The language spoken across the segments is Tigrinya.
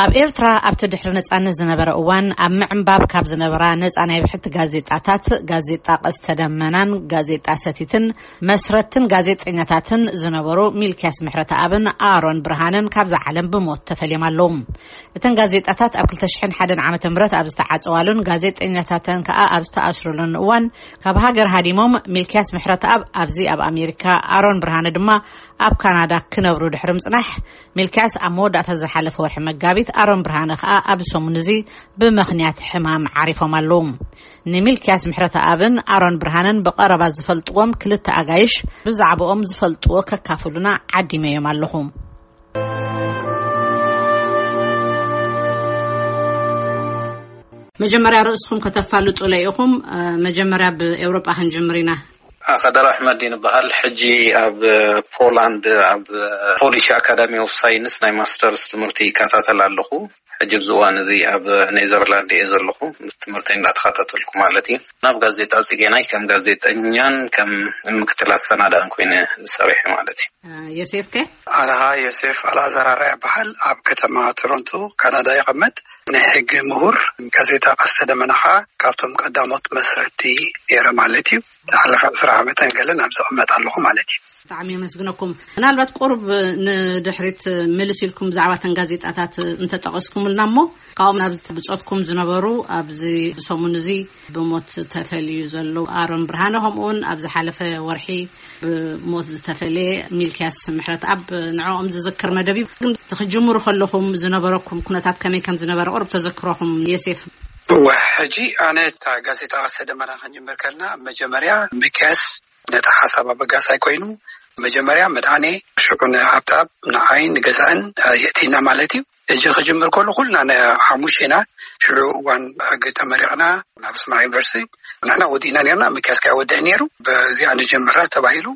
ኣብ ኤርትራ ኣብቲ ድሕሪ ነጻነት ዝነበረ እዋን ኣብ ምዕንባብ ካብ ዝነበራ ነጻ ናይ ብሕቲ ጋዜጣታት፣ ጋዜጣ ቀስተ ደመናን ጋዜጣ ሰቲትን፣ መስረትን ጋዜጠኛታትን ዝነበሩ ሚልክያስ ምሕረተኣብን ኣሮን ብርሃንን ካብዛ ዓለም ብሞት ተፈልዮም ኣለዉ። እተን ጋዜጣታት ኣብ ክልተ ሽሕን ሓደን ዓመተ ምህረት ኣብ ዝተዓጸዋሉን ጋዜጠኛታተን ከኣ ኣብ ዝተኣስሩሉን እዋን፣ ካብ ሃገር ሃዲሞም፣ ሚልክያስ ምሕረተኣብ ኣብዚ ኣብ ኣሜሪካ፣ ኣሮን ብርሃነ ድማ ኣብ ካናዳ ክነብሩ ድሕሪ ምጽናሕ፣ ሚልክያስ ኣብ መወዳእታ ዝሓለፈ ወርሒ መጋቢት፣ ኣሮን ብርሃነ ከኣ ኣብዚ ሰሙን እዚ ብምኽንያት ሕማም ዓሪፎም ኣለዉ። ንሚልክያስ ምሕረተኣብን ኣሮን ብርሃነን ብቐረባ ዝፈልጥዎም ክልተ ኣጋይሽ፣ ብዛዕባኦም ዝፈልጥዎ ከካፍሉና ዓዲመዮም ኣለኹ። መጀመርያ ርእስኹም ከተፋልጡለይ ኢኹም። እ፣ መጀመርያ ብኤውሮጳ ክንጅምር ኢና። ኣኸደር ኣሕመዲን እበሃል። ሕጂ ኣብ ፖላንድ ኣብ ፖሊሽ ኣካዳሚ ኦፍ ሳይንስ ናይ ማስተርስ ትምህርቲ ይከታተል ኣለኹ። ሕጂ ኣብዚ እዋን እዚ ኣብ ኔዘርላንድ እየ ዘለኹ፣ ትምህርቲ እንዳተኸታተልኩ ማለት እዩ። ናብ ጋዜጣ ጽጌናይ ከም ጋዜጠኛን ከም ምክትል ኣሰናዳእን ኮይነ ሰሪሐ ማለት እዩ። ዮሴፍ ከ? ኣነኻ ዮሴፍ ኣልኣዛር ኣርኣያ ይበሃል። ኣብ ከተማ ቶሮንቶ ካናዳ ይቐመጥ። ናይ ሕጊ ምሁር፣ ጋዜጣ ቀስተ ደመና ኸኣ ካብቶም ቀዳሞት መስረትቲ ነይረ ማለት እዩ። ዝሓለፈ ዕስራ ዓመተን ገለን ኣብ ዝቕመጥ ኣለኹ ማለት እዩ። ብጣዕሚ የመስግነኩም። ምናልባት ቁሩብ ንድሕሪት ምልስ ኢልኩም ብዛዕባ እተን ጋዜጣታት እንተጠቐስኩምልና እሞ፣ ካብኦም ኣብዚ ብጾትኩም ዝነበሩ፣ ኣብዚ ሰሙን እዚ ብሞት ተፈልዩ ዘሎ ኣሮን ብርሃነ፣ ከምኡውን ኣብ ዝሓለፈ ወርሒ ብሞት ዝተፈልየ ሚልክያስ ምሕረተኣብ፣ ንዕኦም ዝዝክር መደብ እዩ። ግን ክጅምሩ ከለኹም ዝነበረኩም ኩነታት ከመይ ከም ዝነበረ ቁሩብ ተዘክሮኹም፣ ዮሴፍ? እወ፣ ሕጂ ኣነ እታ ጋዜጣ ቀስተ ደመና ክንጅምር ከለና፣ መጀመርያ ሚልክያስ ነቲ ሓሳብ ኣበጋሳይ ኮይኑ፣ መጀመርያ መድሃኔ፣ ሽዑ ንሃብተኣብ፣ ንዓይ፣ ንገዛእን የእቲና ማለት እዩ። ሕጂ ክጅምር ከሎ ኩልና ን-፣ ሓሙሽተ ኢና። ሽዑ እዋን ሕጊ ተመሪቕና ናብ ኣስመራ ዩኒቨርሲቲ ንሕና ወዲእና ነርና፣ ሚልክያስ ከኣ ይወድእ ነይሩ። በዚኣ ንጀምራ ተባሂሉ፣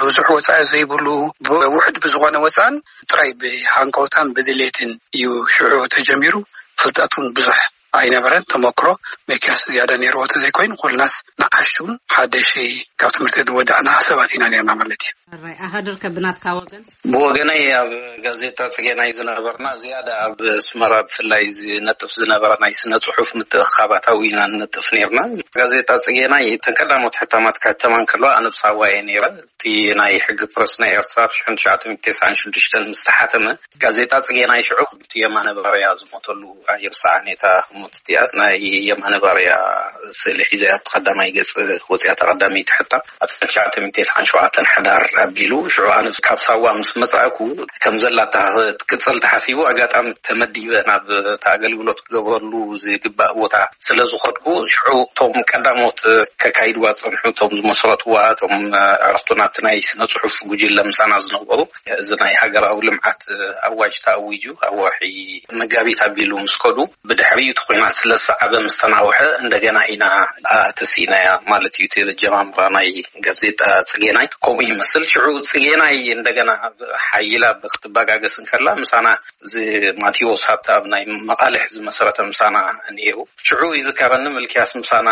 ብዙሕ ወጻኢ ዘይብሉ፣ ብውሑድ ብዝኾነ ወጻእን ጥራይ ብሃንቀውታን ብድሌትን እዩ ሽዑ ተጀሚሩ። ፍልጠት እውን ብዙሕ ኣይነበረን። ተመክሮ ሚልክያስ ዝያዳ ነይርዎ እንተዘይኮይኑ፣ ኩልናስ ንኣሽቱ ሓደሽቲ ካብ ትምህርቲ ዝወዳእና ሰባት ኢና ነርና ማለት እዩ። ሕራይ፣ ኣኸድር ከ ብናትካ ወገን? ብወገነይ ኣብ ጋዜጣ ጽጌናይ ዝነበርና ዝያዳ ኣብ ኣስመራ ብፍላይ ዝነጥፍ ዝነበረ ናይ ስነ ጽሑፍ ምትእኽኻባት ኣዊና ንነጥፍ ነርና። ጋዜጣ ጽጌናይ እተን ቀዳሞት ሕታማት ክሕተማ እንከለዋ ኣነ ኣብ ሳዋ እየ ነይረ። እቲ ናይ ሕጊ ፕረስ ናይ ኤርትራ ኣብ ሽሕን ትሽዓተ ሚእትን ተስዓን ሽዱሽተን ምስ ተሓተመ፣ ጋዜጣ ጽጌናይ ሽዑ እቲ የማነ ባርያ ዝሞተሉ ኣይርሳዕን እየ። እታ ህሞት እቲኣ ናይ የማነ ባርያ ስእሊ ሒዘ ኣብቲ ቀዳማይ ገጽ ወጺኣ፣ እታ ቀዳመይቲ ሕታም ኣብ ትሽዓተ ሚእትን ተስዓን ሸውዓተን ሕዳር ኣቢሉ። ሽዑ ኣነ ካብ ሳዋ ምስ መጻእኩ ከም ዘላ እታ ክትቅጽል ተሓሲቡ፣ ኣጋጣሚ ተመዲበ ናብ እቲ ኣገልግሎት ክገብረሉ ዝግባእ ቦታ ስለ ዝኸድኩ፣ ሽዑ እቶም ቀዳሞት ከካይድዋ ዝጸንሑ፣ እቶም ዝመስረትዋ፣ እቶም ኣዕሩኽቱ ናብቲ ናይ ስነ ጽሑፍ ጉጅለ ምሳና ዝነበሩ፣ እዚ ናይ ሃገራዊ ልምዓት ኣዋጅ ተኣዊጁ ኣብ ወርሒ መጋቢት ኣቢሉ ምስ ከዱ፣ ብድሕሪኡ እቲ ኲናት ስለ ዝሰዓበ ምስ ተናውሐ፣ እንደገና ኢና ኣተሲእናያ ማለት እዩ። እቲ ኣጀማምራ ናይ ጋዜጣ ጽጌናይ ከምኡ ይመስል። ሽዑ ጽጌናይ እንደገና ሓይላ ክትበጋገስ እንከላ፣ ምሳና እዚ ማቴዎስ ሃብተኣብ ናይ መቓልሕ ዝመሰረተ ምሳና ነይሩ። ሽዑ ይዝከረኒ፣ ምልክያስ ምሳና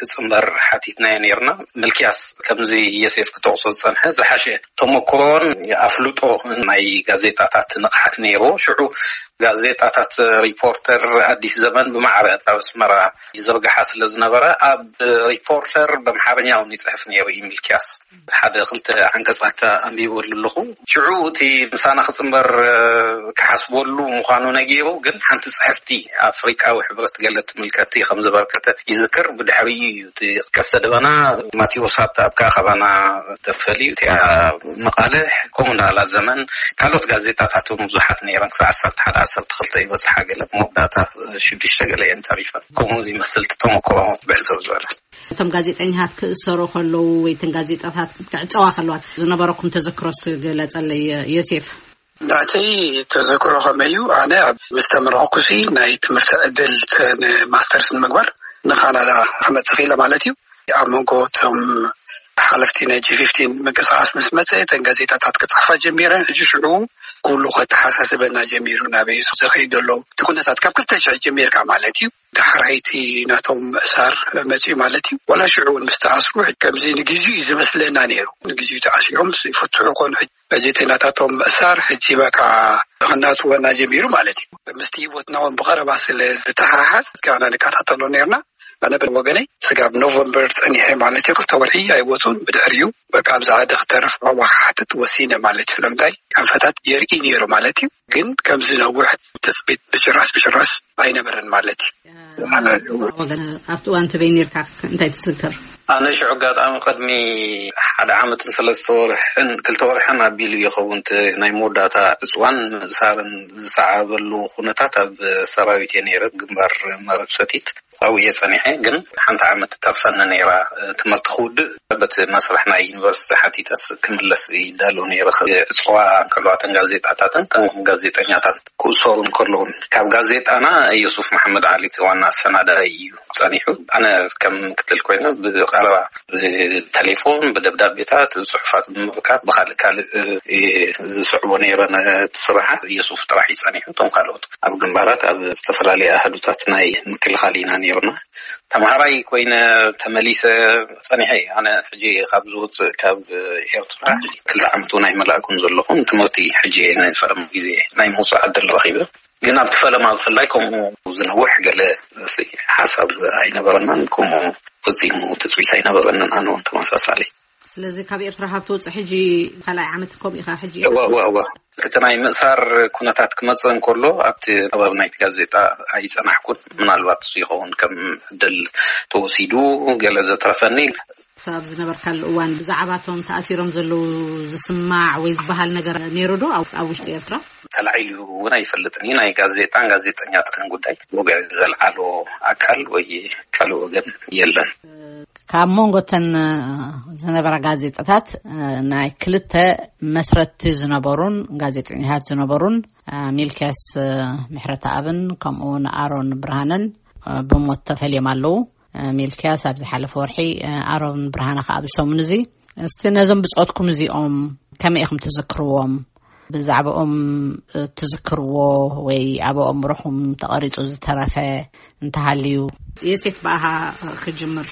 ክጽንበር ሓቲትናዮ ነይርና። ምልክያስ ከምዚ የሴፍ ክጠቕሶ ዝጸንሐ ዝሓሸ ተመክሮን ኣፍልጦ ናይ ጋዜጣታት ንቕሓት ነይርዎ። ሽዑ ጋዜጣታት ሪፖርተር፣ ኣዲስ ዘመን ብማዕረ ኣብ ኣስመራ ይዝርግሓ ስለ ዝነበረ፣ ኣብ ሪፖርተር ብኣምሓርኛ እውን ይጽሕፍ ነይሩ እዩ ምልክያስ። ሓደ ክልተ ዓንቀጻት ኣንቢበሉ ኣለኹ። ሽዑ እቲ ምሳና ክጽንበር ክሓስበሉ ምዃኑ ነጊሩ፣ ግን ሓንቲ ጽሕፍቲ ኣፍሪቃዊ ሕብረት ገለ ትምልከቲ ከም ዘበርከተ ይዝክር። ብድሕሪኡ እዩ እቲ ቀስተ ደመና ማቴዎስ ሃብተኣብ ከኣ ካባና ተፈልዩ። እቲኣ መቓልሕ፣ ከምኡ እንዳላ ዘመን፣ ካልኦት ጋዜጣታት እውን ብዙሓት ነይረን። ክሳዕ ዓሰርተ ሓደ፣ ዓሰርተ ክልተ ይበጽሓ፣ ገለ መወዳእታ ሽዱሽተ ገለ እየን ተሪፈን። ከምኡ ይመስል እቲ ተመክሮ ብሕጽር ዝበለ። እቶም ጋዜጠኛታት ክእሰሩ ከለዉ ወይ እተን ጋዜጣታት ክዕጸዋ ከለዋ ዝነበረኩም ተዘክሮ እስኪ ግለጸለይ ዮሴፍ። ናተይ ተዘክሮ ከመይ እዩ? ኣነ ኣብ ምስ ተመረቕኩሲ ናይ ትምህርቲ ዕድል ተ-፣ ንማስተርስ ንምግባር ንካናዳ ክመጽእ ክኢለ ማለት እዩ። ኣብ መንጎ እቶም ሓለፍቲ ናይ ጂ ፊፍቲን ምንቅስቓስ ምስ መጸ፣ እተን ጋዜጣታት ክጽሕፋ ጀሚረን። ሕጂ ሽዑ ኩሉ ከተሓሳስበና ጀሚሩ፣ ናበይ እዩ ዝኸይድ ዘሎ እቲ ኩነታት ካብ ክልተ ሽሕ ጀሚርካ ማለት እዩ። ዳሕራይቲ ናቶም ምእሳር መጺኡ ማለት እዩ። ዋላ ሽዑ እውን ምስ ተኣስሩ፣ ከምዚ ንግዜኡ እዩ ዝመስለና ነይሩ። ንግዜኡ ተኣሲሮም ይፍትሑ ኮኑ። ሕጂ ጋዜጠኛታቶም ምእሳር ሕጂ በቃ ክናጽወና ጀሚሩ ማለት እዩ። ምስቲ ህይወትና እውን ብቐረባ ስለ ዝተሓሓዝ፣ እስካብ ንከታተሎ ነርና። ኣነ ብወገነይ ስጋብ ኖቨምበር ጸኒሐ ማለት እዩ፣ ክልተ ወርሒ ኣይወጹን። ብድሕሪኡ በቃ ኣብዚ ዓዲ ክተርፍ መዋሓሕትት ወሲነ ማለት እዩ። ስለምንታይ ኣንፈታት የርኢ ነይሩ ማለት እዩ። ግን ከምዚ ነዊሕ ትጽቢት ብጭራሽ ብጭራሽ ኣይነበረን ማለት እዩ። ወገን ኣብቲ እዋን ትበይ ነርካ? እንታይ ትዝክር? ኣነ ሽዑ ኣጋጣሚ ቅድሚ ሓደ ዓመትን ሰለስተ ወርሕን ክልተ ወርሕን ኣቢሉ ይኸውን እቲ ናይ መወዳእታ ዕፅዋን ምእሳርን ዝሰዓበሉ ኩነታት ኣብ ሰራዊት እየ ነይረ፣ ግንባር መረብ ሰቲት ኣብኡ እየ ጸኒሐ። ግን ሓንቲ ዓመት ተርፈኒ ነይራ ትምህርቲ ክውድእ። በቲ መስርሕ ናይ ዩኒቨርሲቲ ሓቲተስ ክምለስ ይዳሎ ነይረ። ዕፅዋ እንከለዋ እተን ጋዜጣታትን እተን ጋዜጠኛታት ክእሰሩ እንከለውን ካብ ጋዜጣና ዮሱፍ መሓመድ ዓሊ እቲ ዋና ኣሰናዳኢ እዩ ጸኒሑ። ኣነ ከም ምክትል ኮይነ ብቐረባ ብቴሌፎን፣ ብደብዳቤታት፣ ጽሑፋት ብምብካት ብካልእ ካልእ ዝስዕቦ ነይረ ነቲ ስራሓት። ዮሱፍ ጥራሕ እዩ ጸኒሑ። እቶም ካልኦት ኣብ ግንባራት ኣብ ዝተፈላለዩ ኣህዱታት ናይ ምክልኻል ኢና ነይርና። ተምሃራይ ኮይነ ተመሊሰ ጸኒሐ እየ። ኣነ ሕጂ ካብ ዝወፅእ ካብ ኤርትራ ክልተ ዓመት እውን ኣይመላእኩን ዘለኹ። ትምህርቲ ሕጂ ናይ ፈለማ ግዜ ናይ ምውፃእ ዕድል ረኺበ። ግን ኣብቲ ፈለማ ብፍላይ ከምኡ ዝነውሕ ገለ ሓሳብ ኣይነበረናን፣ ከምኡ ፈጺሙ ትጽቢት ኣይነበረንን። ኣነ እውን ተመሳሳሊ። ስለዚ ካብ ኤርትራ ካብ ትወጽእ ሕጂ ካልኣይ ዓመት ከምኡ ኢኻ ሕጂ? እወ፣ እወ፣ እወ። እቲ ናይ ምእሳር ኩነታት ክመጽእ እንከሎ ኣብቲ ከባቢ ናይቲ ጋዜጣ ኣይጸናሕኩን። ምናልባት እሱ ይኸውን ከም ዕድል ተወሲዱ ገለ ዘትረፈኒ። ክሳብ ዝነበርካሉ እዋን ብዛዕባቶም ተኣሲሮም ዘለዉ ዝስማዕ ወይ ዝበሃል ነገር ነይሩ ዶ ኣብ ኣብ ውሽጢ ኤርትራ? ተላዒሉ እውን ኣይፈልጥን እዩ። ናይ ጋዜጣን ጋዜጠኛታትን ጉዳይ ወግዒ ዘልዓሎ ኣካል ወይ ካልእ ወገን የለን። ካብ መንጎተን ዝነበራ ጋዜጣታት ናይ ክልተ መስረትቲ ዝነበሩን ጋዜጠኛታት ዝነበሩን ሚልክያስ ምሕረተኣብን ከምኡ እውን ኣሮን ብርሃነን ብሞት ተፈልዮም ኣለዉ። ሚልክያስ ኣብ ዝሓለፈ ወርሒ፣ ኣሮን ብርሃነ ከኣ ኣብዚ ሰሙን እዚ። እስቲ ነዞም ብጾትኩም እዚኦም ከመይ ኢኹም ትዝክርዎም? ብዛዕባኦም ትዝክርዎ ወይ ኣብ ኣእምሮኹም ተቐሪጹ ዝተረፈ እንተሃልዩ? የሴፍ ብኣኻ ክጅምር።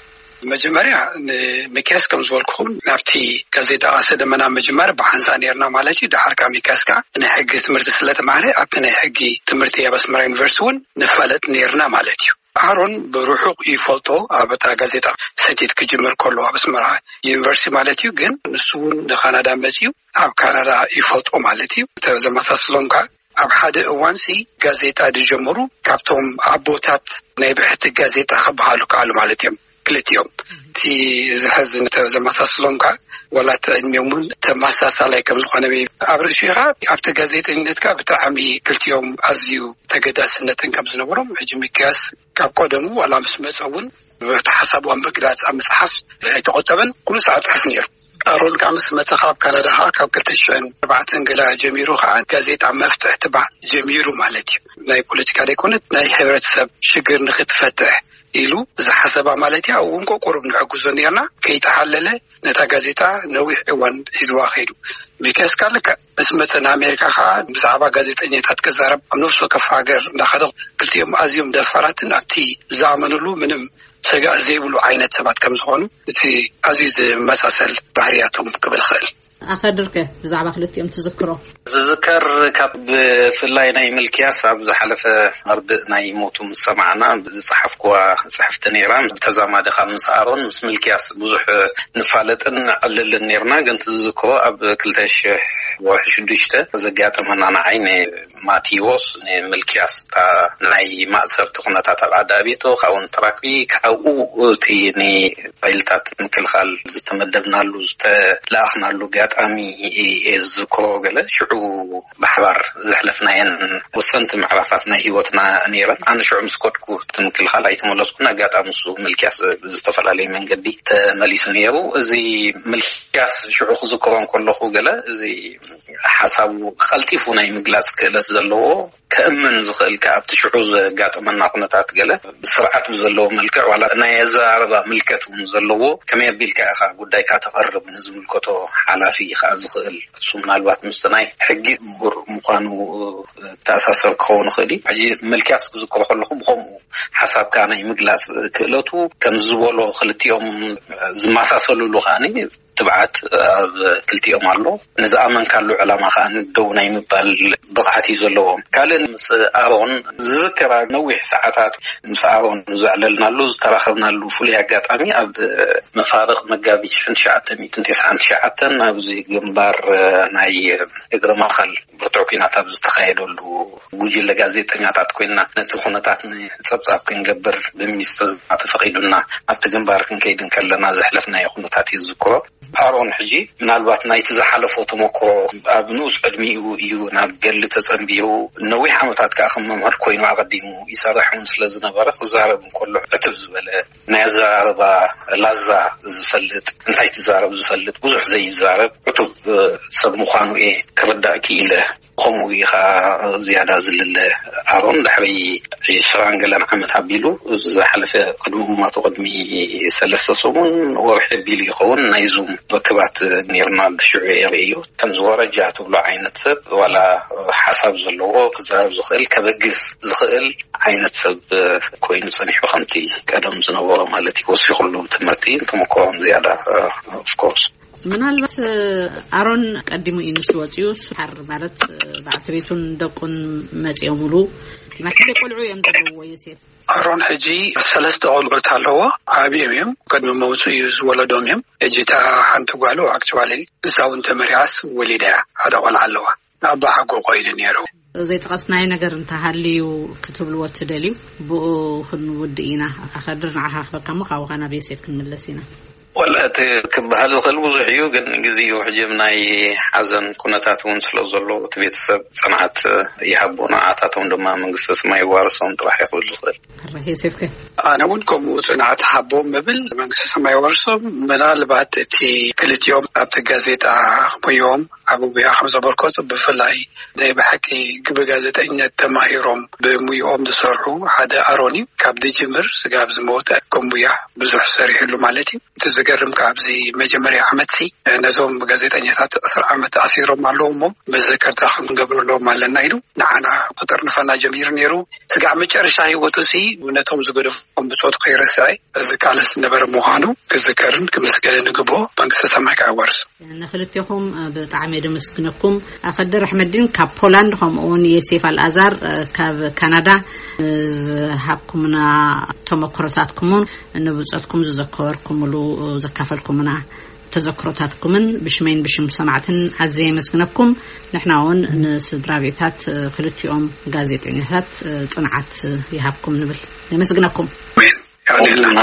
መጀመርያ ንሚክያስ ከም ዝበልኩኹም ናብቲ ጋዜጣ ቀስተ ደመና ምጅማር ብሓንሳ ነርና ማለት እዩ። ደሓር ካብ ሚክያስ ከዓ ናይ ሕጊ ትምህርቲ ስለ ተማህረ ኣብቲ ናይ ሕጊ ትምህርቲ ኣብ ኣስመራ ዩኒቨርሲቲ እውን ንፋለጥ ነርና ማለት እዩ። ኣሮን ብርሑቕ ይፈልጦ፣ ኣብ እታ ጋዜጣ ሰቲት ክጅምር ከሎ ኣብ ኣስመራ ዩኒቨርሲቲ ማለት እዩ። ግን ንሱ እውን ንካናዳ መጺኡ ኣብ ካናዳ ይፈልጦ ማለት እዩ። ዘመሳስሎም ከዓ ኣብ ሓደ እዋንሲ ጋዜጣ ዝጀመሩ ካብቶም ኣቦታት ናይ ብሕቲ ጋዜጣ ክበሃሉ ከኣሉ ማለት እዮም ክልቲኦም። እቲ ዝሕዝን ዘመሳስሎም ከዓ ዋላ እቲ ዕድሚኦም እውን ተመሳሳላይ ከም ዝኾነ ኣብ ርእሲኡ ከዓ ኣብቲ ጋዜጠኝነት ከዓ ብጣዕሚ ክልቲኦም ኣዝዩ ተገዳስነትን ከም ዝነበሮም ሕጂ ሚክያስ ካብ ቀደሙ ዋላ ምስ መፀ እውን እቲ ሓሳቡ ኣብ ምግላፅ ኣብ መፅሓፍ ኣይተቆጠበን። ኩሉ ሰዓት ፅሕፍ ነይሩ። ኣሮን ከዓ ምስ መፀ ካብ ካናዳ ከዓ ካብ ክልተ ሽሕን ኣርባዕተን ገላ ጀሚሩ ከዓ ጋዜጣ መፍትሕ ትባዕ ጀሚሩ ማለት እዩ። ናይ ፖለቲካ ዘይኮነት ናይ ሕብረተሰብ ሽግር ንክትፈትሕ ኢሉ ዝሓሰባ ማለት እዩ። ኣብኡ እውን ቁሩብ ንሕግዞ ነርና ከይተሓለለ ነታ ጋዜጣ ነዊሕ እዋን ሒዝዋ ከይዱ። ሚክያስ ከዓ ልክዕ ምስ መፀ ንኣሜሪካ ከዓ ብዛዕባ ጋዜጠኛታት ክዛረብ ኣብ ነፍሲ ወከፍ ሃገር እንዳኸደ ክልቲኦም ኣዝዮም ደፋራትን ኣብቲ ዝኣመንሉ ምንም ሰጋእ ዘይብሉ ዓይነት ሰባት ከም ዝኾኑ እቲ ኣዝዩ ዝመሳሰል ባህርያቶም ክብል ይኽእል። ኣኸድርከ ብዛዕባ ክልቲኦም ትዝክሮ? ዝዝከር ካብ ብፍላይ ናይ ምልክያስ ኣብ ዝሓለፈ መርድእ ናይ ሞቱ ምስ ሰማዕና ዝጸሓፍኩዋ ጽሕፍቲ ነይራ። ብተዛማዲ ካብ ምስ ኣሮን ምስ ምልክያስ ብዙሕ ንፋለጥን ንዕልልን ነይርና። ግን ትዝክሮ ኣብ ክልተ ሽሕ ወርሒ ሽዱሽተ ዘጋጠመና ንዓይ ንማቴዎስ ንምልክያስ እታ ናይ ማእሰርቲ ኩነታት ኣብ ዓዲ ኣብየቶ ካብኡ ንተራክቢ ካብኡ እቲ ንፋይልታት ምክልኻል ዝተመደብናሉ ዝተለኣኽናሉ ኣጋጣሚ እየ ዝዝክሮ። ገለ ሽዑ ብሓባር ዘሕለፍናየን ወሰንቲ ምዕራፋት ናይ ህይወትና ነይረን። ኣነ ሽዑ ምስ ከድኩ እቲ ምክልኻል ኣይተመለስኩን። ኣጋጣሚ እሱ ምልክያስ ብዝተፈላለየ መንገዲ ተመሊሱ ነይሩ። እዚ ምልክያስ ሽዑ ክዝክሮ እንከለኹ ገለ እዚ ሓሳቡ ቀልጢፉ ናይ ምግላጽ ክእለት ዘለዎ ከእምን ዝኽእል ከ ኣብቲ ሽዑ ዘጋጠመና ኩነታት ገለ ስርዓት ብዘለዎ መልክዕ ዋላ ናይ ኣዘራርባ ምልከት እውን ዘለዎ ከመይ ኣቢልካ ኢኻ ጉዳይካ ተቐርብ ንዝምልከቶ ሓላፊ ከዓ ዝኽእል እሱ ምናልባት ምስቲ ናይ ሕጊ ምሁር ምዃኑ ተኣሳሰር ክኸውን ይኽእል እዩ። ሕጂ መልክያስ ክዝክሮ ከለኹ ብኸምኡ ሓሳብካ ናይ ምግላፅ ክእለቱ ከም ዝበሎ ክልቲኦም ዝመሳሰሉሉ ከዓኒ ትብዓት ኣብ ክልቲኦም ኣሎ። ንዝኣመንካሉ ዕላማ ከዓ ደው ናይ ምባል ብቕዓት እዩ ዘለዎም። ካልእ ምስ ኣሮን ዝዝከራ ነዊሕ ሰዓታት ምስ ኣሮን ዘዕለልናሉ ዝተራኸብናሉ ፍሉይ ኣጋጣሚ ኣብ መፋርቕ መጋቢት ሽሕን ትሽዓተ ሚእትን ተስዓን ትሽዓተን ኣብዚ ግንባር ናይ እግረ ማኸል ብርቱዕ ኲናት ኣብ ዝተኻየደሉ ጉጅለ ጋዜጠኛታት ኮይና ነቲ ኩነታት ንጸብጻብ ክንገብር ብሚኒስትር ዜና ተፈቒዱና ኣብቲ ግንባር ክንከይድ እንከለና ዘሕለፍናዮ ኩነታት እዩ ዝዝክሮ። ኣሮን ሕጂ ምናልባት ናይቲ ዝሓለፎ ተመክሮ ኣብ ንኡስ ዕድሚኡ እዩ ናብ ገድሊ ተጸንቢዩ። ነዊሕ ዓመታት ከኣ ከም መምህር ኮይኑ ኣቐዲሙ ይሰርሕ እውን ስለ ዝነበረ ክዛረብ እንከሎ ዕትብ ዝበለ ናይ ኣዘራርባ ላዛ ዝፈልጥ፣ እንታይ ትዛረብ ዝፈልጥ፣ ብዙሕ ዘይዛረብ ዕቱብ ሰብ ምዃኑ እየ ክርዳእ ክኢለ። ከምኡ ኢኻ ዝያዳ ዝልለ ኣሮን ድሕሪ ዒስራን ገለን ዓመት ኣቢሉ ዝሓለፈ ቅድሚ እማቱ ቅድሚ ሰለስተ ሰሙን ወርሒ ኣቢሉ ይኸውን ናይ ዙም ርክባት ነይርና። ብሽዑ የርእዩ ከም ዝወረጃ ትብሎ ዓይነት ሰብ ዋላ ሓሳብ ዘለዎ ክዛረብ ዝኽእል ከበግስ ዝኽእል ዓይነት ሰብ ኮይኑ ጸኒሑ ከምቲ ቀደም ዝነበሮ ማለት እዩ። ወሲኹሉ ትምህርቲ ተመክሮም ዝያዳ ኦፍኮርስ ምናልባት ኣሮን ቀዲሙ እዩ ንሱ ወፂኡ ሓር ማለት በዓልቲ ቤቱን ደቁን መፂኦምሉ ናይ ክንደይ ቆልዑ እዮም ዘለዎ ዮሴፍ? ኣሮን ሕጂ ሰለስተ ቆልዑት ኣለዎ። ዓብዮም እዮም። ቅድሚ መውፅኡ እዩ ዝወለዶም እዮም። ሕጂ እታ ሓንቲ ጓሉ ኣክቹዋሊ እሳ እውን ተመሪዓስ ወሊዳ እያ። ሓደ ቆልዓ ኣለዋ። ኣባ ሓጎ ኮይኑ ነይሩ። ዘይጠቐስናዮ ነገር እንተሃልዩ ክትብልዎ ትደልዩ? ብኡ ክንውድእ ኢና። ኣኸድር ንዓኻ ክበካ እሞ ካብኡ ናብ ዮሴፍ ክንምለስ ኢና። ወላ እቲ ክበሃል ዝኽእል ብዙሕ እዩ፣ ግን ግዜኡ ሕጂ ናይ ሓዘን ኩነታት እውን ስለ ዘሎ እቲ ቤተሰብ ጽንዓት ይሃቦ፣ ንዓታቶም ድማ መንግስተ ሰማይ ይዋርሶም ጥራሕ ይኽብል ዝኽእል። ኣረ ዮሴፍከ? ኣነ እውን ከምኡ ጽንዓት ሃቦም እብል፣ መንግስተ ሰማይ ይዋርሶም። ምናልባት እቲ ክልቲኦም ኣብቲ ጋዜጣ ሙያኦም ዓቢ ሙያ ከም ዘበርከቱ ብፍላይ ናይ ብሓቂ ብጋዜጠኝነት ተማሂሮም ብሙያኦም ዝሰርሑ ሓደ ኣሮን እዩ። ካብ ዝጅምር ስጋብ ዝመወተ ከም ሙያ ብዙሕ ሰሪሕሉ ማለት እዩ። እቲ ዝገርም ካብ ኣብዚ መጀመርያ ዓመትሲ ነዞም ጋዜጠኛታት ዕስራ ዓመት ኣሲሮም ኣለዉ እሞ መዘከርታ ክንገብረሎም ኣለና ኢሉ ንዓና ክጥርንፈና ጀሚሩ ነይሩ። ስጋዕ መጨረሻ ህይወቱ ሲ ነቶም ዝገደፎም ብጾቱ ከይረስዐ ዝቃለስ ዝነበረ ምዃኑ ክዝከርን ክምስገንን ይግብኦ። መንግስተ ሰማይ ከኣ ይዋርሶ። ንክልቴኹም ብጣዕሚ እየ ደመስግነኩም። ኣኸድር ኣሕመዲን ካብ ፖላንድ ከምኡ እውን የሴፍ ኣልኣዛር ካብ ካናዳ ዝሃብኩምና ተመክሮታትኩምን ንብጾትኩም ዝዘከርኩምሉ ዘካፈልኩምና ተዘክሮታትኩምን ብሽመይን ብሽም ሰማዕትን ኣዝየ የመስግነኩም። ንሕና እውን ንስድራ ቤታት ክልቲኦም ጋዜጠኛታት ጽንዓት ይሃብኩም ንብል። የመስግነኩም። ኣሜን። የቐንየልና።